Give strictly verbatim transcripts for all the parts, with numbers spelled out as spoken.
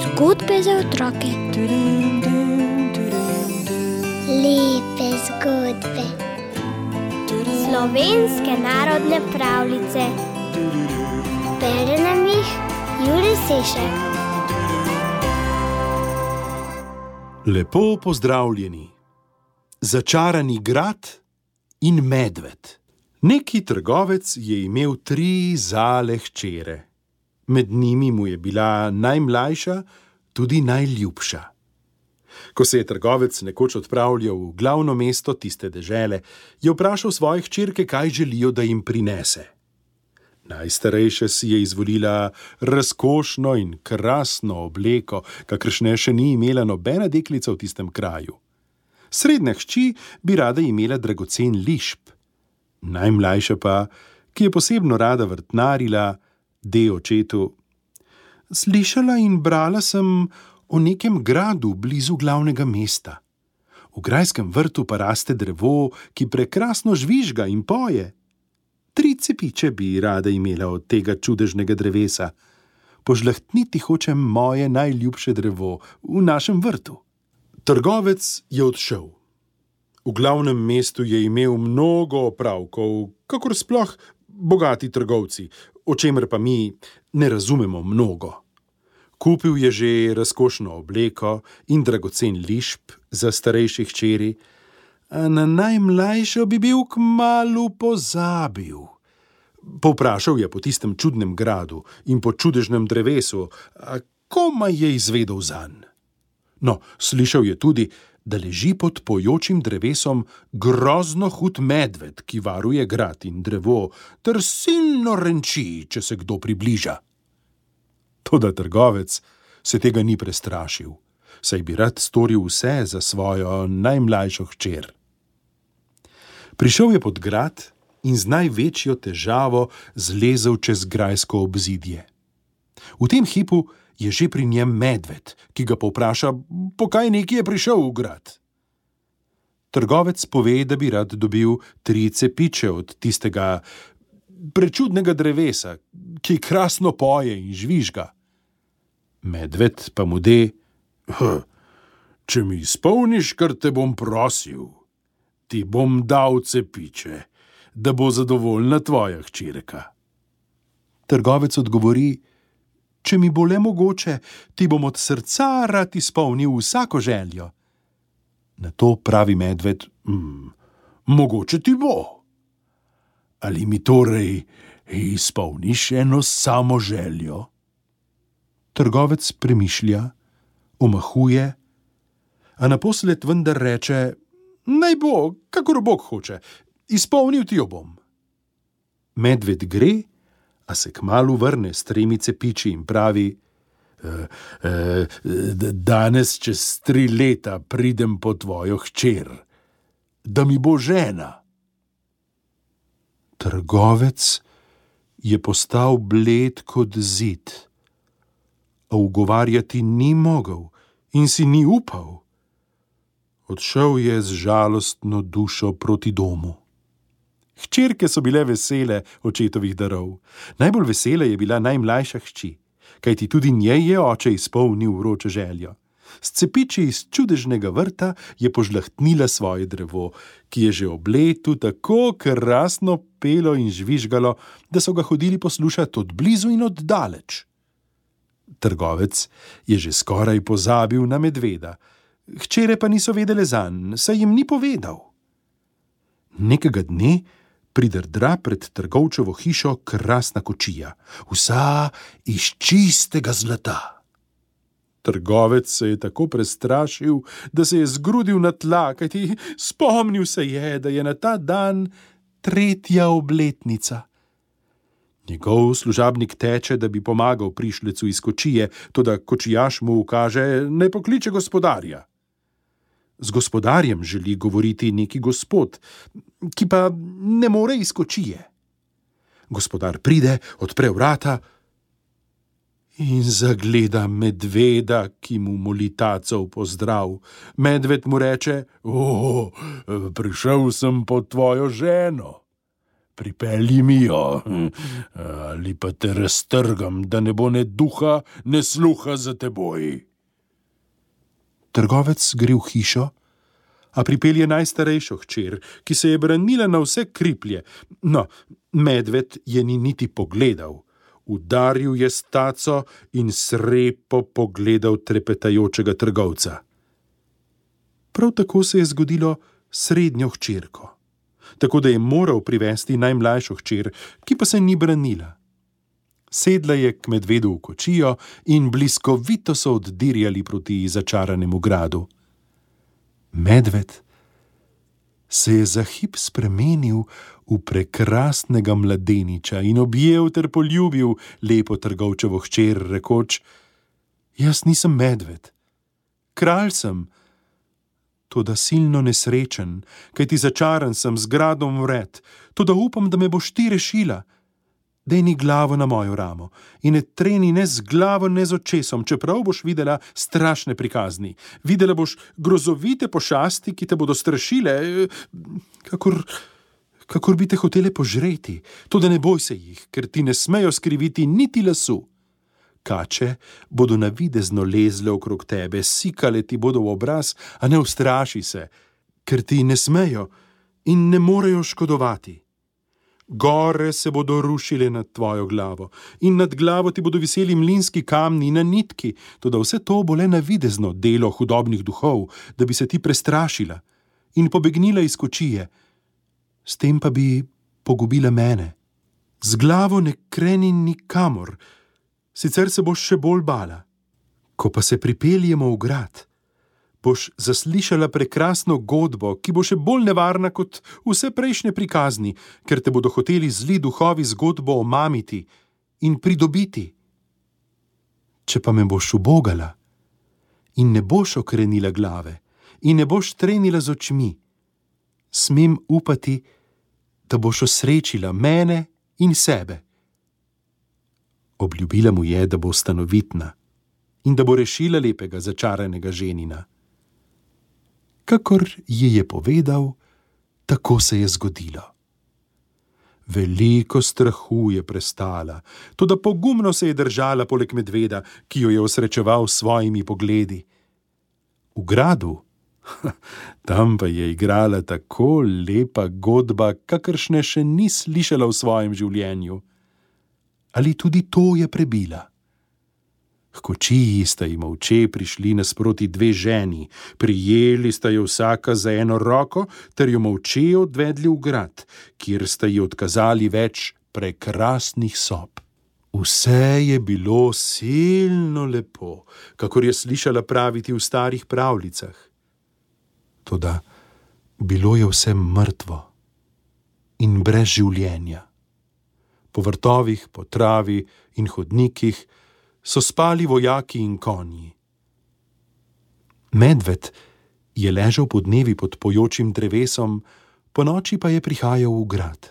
Zgodbe za otroke. Lepe zgodbe. Slovenske narodne pravljice. Bere nam jih Jure Sešek. Lepo pozdravljeni. Začarani grad in medved. Neki trgovec je imel tri zale hčere. Med njimi mu je bila najmlajša, tudi najljubša. Ko se je trgovec nekoč odpravljal v glavno mesto tiste dežele, je vprašal svoje hčerke, kaj želijo, da jim prinese. Najstarejša si je izvolila razkošno in krasno obleko, kakršne še ni imela nobena deklica v tistem kraju. Srednja hči bi rada imela dragocen lišp. Najmlajša pa, ki je posebno rada vrtnarila, de očetu: Slišala in brala sem o nekem gradu blizu glavnega mesta. V grajskem vrtu pa raste drevo, ki prekrasno žvižga in poje. Tri cepiče bi rada imela od tega čudežnega drevesa. Požlahtniti hočem moje najljubše drevo v našem vrtu. Trgovec je odšel. V glavnem mestu je imel mnogo opravkov, kakor sploh bogati trgovci, o čemer pa mi ne razumemo mnogo. Kupil je že razkošno obleko in dragocen lišp za starejše hčeri, a na najmlajšo bi bil kmalu pozabil. Povprašal je po tistem čudnem gradu in po čudežnem drevesu, a komaj je izvedel zanj. No, slišal je tudi, da leži pod pojočim drevesom grozno hud medved, ki varuje grad in drevo, ter silno renči, če se kdo približa. Toda trgovec se tega ni prestrašil, saj bi rad storil vse za svojo najmlajšo hčer. Prišel je pod grad in z največjo težavo zlezel čez grajsko obzidje. V tem hipu je že pri njem medved, ki ga povpraša, po kaj neki je prišel v grad. Trgovec pove, da bi rad dobil tri cepiče od tistega prečudnega drevesa, ki krasno poje in žvižga. Medved pa mu de: Če mi izpolniš, kar te bom prosil, ti bom dal cepiče, da bo zadovoljna tvoja hčerka. Trgovec odgovori: Če mi bo le mogoče, ti bom od srca rad izpolnil vsako željo. Na to pravi medved: mm, Mogoče ti bo. Ali mi torej izpolniš eno samo željo? Trgovec premišlja, omahuje, a naposled vendar reče: Naj bo, kakor Bog hoče, izpolnil ti jo bom. Medved gre, a se kmalu vrne s tremi cepiči in pravi: e, e, Danes čez tri leta pridem po tvojo hčer, da mi bo žena. Trgovec je postal bled kot zid, a ugovarjati ni mogel in si ni upal. Odšel je z žalostno dušo proti domu. Hčerke so bile vesele očetovih darov. Najbolj vesela je bila najmlajša hči, kajti tudi njej je oče izpolnil vročo željo. S cepiči iz čudežnega vrta je požlahtnila svoje drevo, ki je že ob letu tako krasno pelo in žvižgalo, da so ga hodili poslušati od blizu in od daleč. Trgovec je že skoraj pozabil na medveda, hčere pa niso vedele zanj, saj jim ni povedal. Nekega dne pridrdra pred trgovčevo hišo krasna kočija, vsa iz čistega zlata. Trgovec se je tako prestrašil, da se je zgrudil na tla, kajti spomnil se je, da je na ta dan tretja obletnica. Njegov služabnik teče, da bi pomagal prišlecu iz kočije, toda kočijaš mu ukaže, naj pokliče gospodarja. Z gospodarjem želi govoriti neki gospod, ki pa ne more iz kočije. Gospodar pride, odpre vrata in zagleda medveda, ki mu moli taco v pozdrav. Medved mu reče: O, prišel sem po tvojo ženo. pripelji mi jo, ali pa te raztrgam, da ne bo ne duha, ne sluha za teboj. Trgovec gre v hišo, a pripelje najstarejšo hčer, ki se je branila na vse kriplje. No, medved je ni niti pogledal. Udaril je s taco in srepo pogledal trepetajočega trgovca. Prav tako se je zgodilo srednjo hčerko, tako da je moral privesti najmlajšo hčer, ki pa se ni branila. Sedla je k medvedu v kočijo in bliskovito so oddirjali proti začaranemu gradu. Medved se je za hip spremenil v prekrasnega mladeniča in objel ter poljubil lepo trgovčevo hčer, rekoč: Jaz nisem medved, kralj sem, toda silno nesrečen, kajti začaran sem z gradom vred, toda upam, da me boš ti rešila. Dejni glavo na mojo ramo in ne treni ne z glavo, ne z očesom, čeprav boš videla strašne prikazni. Videla boš grozovite pošasti, ki te bodo strašile, kakor, kakor bi te hotele požreti. Toda ne boj se jih, ker ti ne smejo skriviti niti lasu. Kače bodo navidezno lezle okrog tebe, sikale ti bodo v obraz, a ne ustraši se, ker ti ne smejo in ne morejo škodovati. Gore se bodo rušile nad tvojo glavo in nad glavo ti bodo viseli mlinski kamni na nitki, toda vse to bo le navidezno delo hudobnih duhov, da bi se ti prestrašila in pobegnila iz kočije. S tem pa bi pogubila mene. Z glavo ne kreni nikamor, sicer se boš še bolj bala. Ko pa se pripeljemo v grad, boš zaslišala prekrasno godbo, ki bo še bolj nevarna kot vse prejšnje prikazni, ker te bodo hoteli zli duhovi zgodbo omamiti in pridobiti. Če pa me boš ubogala in ne boš okrenila glave in ne boš trenila z očmi, smem upati, da boš osrečila mene in sebe. Obljubila mu je, da bo stanovitna in da bo rešila lepega začaranega ženina. Kakor ji je povedal, tako se je zgodilo. Veliko strahu je prestala, toda pogumno se je držala poleg medveda, ki jo je osrečeval s svojimi pogledi. V gradu, tam pa je igrala tako lepa godba, kakršne še ni slišala v svojem življenju. Ali tudi to je prebila? H kočiji sta ji molče prišli nasproti dve ženi, prijeli sta jo vsaka za eno roko ter jo molče odvedli v grad, kjer sta ji odkazali več prekrasnih sob. Vse je bilo silno lepo, kakor je slišala praviti v starih pravljicah. Toda bilo je vse mrtvo in brez življenja. Po vrtovih, po travi in hodnikih so spali vojaki in konji. Medved je ležal podnevi pod pojočim drevesom, ponoči pa je prihajal v grad.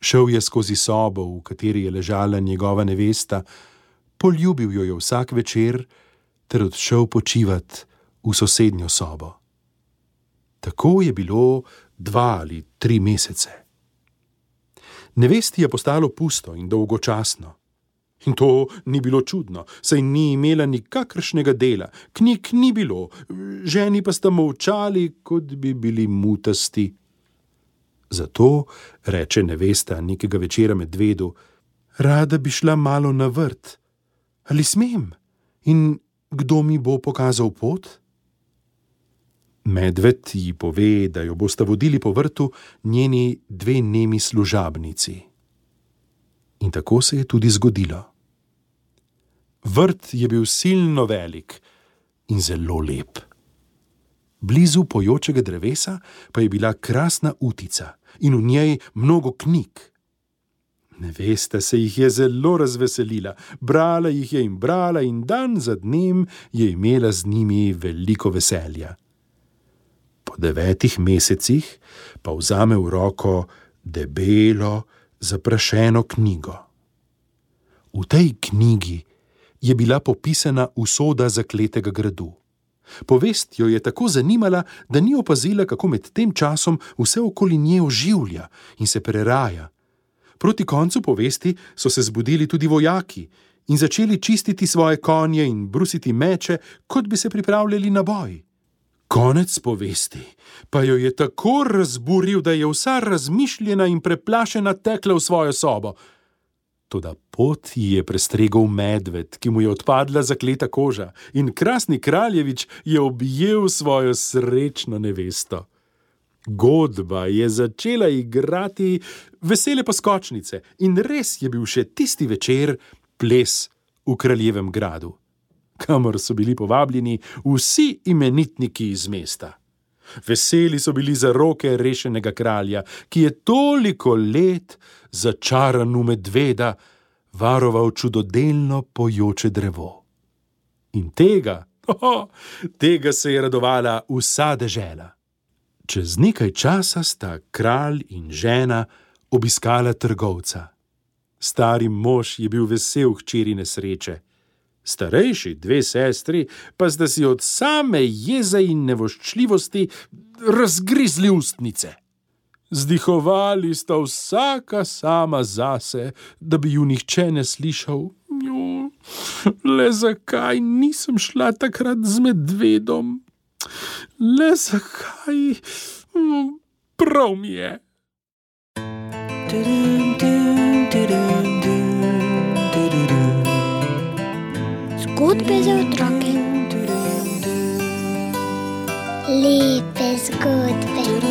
Šel je skozi sobo, v kateri je ležala njegova nevesta, poljubil jo je vsak večer ter odšel počivat v sosednjo sobo. Tako je bilo dva ali tri mesece. Nevesti je postalo pusto in dolgočasno. In to ni bilo čudno, saj ni imela nikakršnega dela, knjig ni bilo, ženi pa sta molčali, kot bi bili mutasti. Zato reče nevesta nekega večera medvedu: Rada bi šla malo na vrt. Ali smem? In kdo mi bo pokazal pot? Medved ji pove, da jo bosta vodili po vrtu njeni dve nemi služabnici. In tako se je tudi zgodilo. Vrt je bil silno velik in zelo lep. Blizu pojočega drevesa pa je bila krasna utica in v njej mnogo knjig. Nevesta se jih je zelo razveselila, brala jih je in brala in dan za dnem je imela z njimi veliko veselja. Po devetih mesecih pa vzame v roko debelo, zaprašeno knjigo. V tej knjigi je bila popisana usoda zakletega gradu. Povest jo je tako zanimala, da ni opazila, kako med tem časom vse okoli nje oživlja in se preraja. Proti koncu povesti so se zbudili tudi vojaki in začeli čistiti svoje konje in brusiti meče, kot bi se pripravljali na boj. Konec povesti pa jo je tako razburil, da je vsa razmišljena in preplašena tekla v svojo sobo. Toda pot ji je prestregel medved, ki mu je odpadla zakleta koža, in krasni kraljevič je objel svojo srečno nevesto. Godba je začela igrati vesele poskočnice in res je bil še tisti večer ples v kraljevem gradu, kamor so bili povabljeni vsi imenitniki iz mesta. Veseli so bili za roke rešenega kralja, ki je toliko let začaran v medveda varoval čudodelno pojoče drevo. In tega, oh, tega se je radovala vsa dežela. Čez nekaj časa sta kralj in žena obiskala trgovca. Stari mož je bil vesel hčerine sreče. Starejši dve sestri pa sta si od same jeze in nevoščljivosti razgrizli ustnice. Zdihovali sta vsaka sama zase, da bi ju nihče ne slišal. Jo, le zakaj nisem šla takrat z medvedom? Le zakaj? Prav mi je. Zgodbe za otroke. Lepe zgodbe.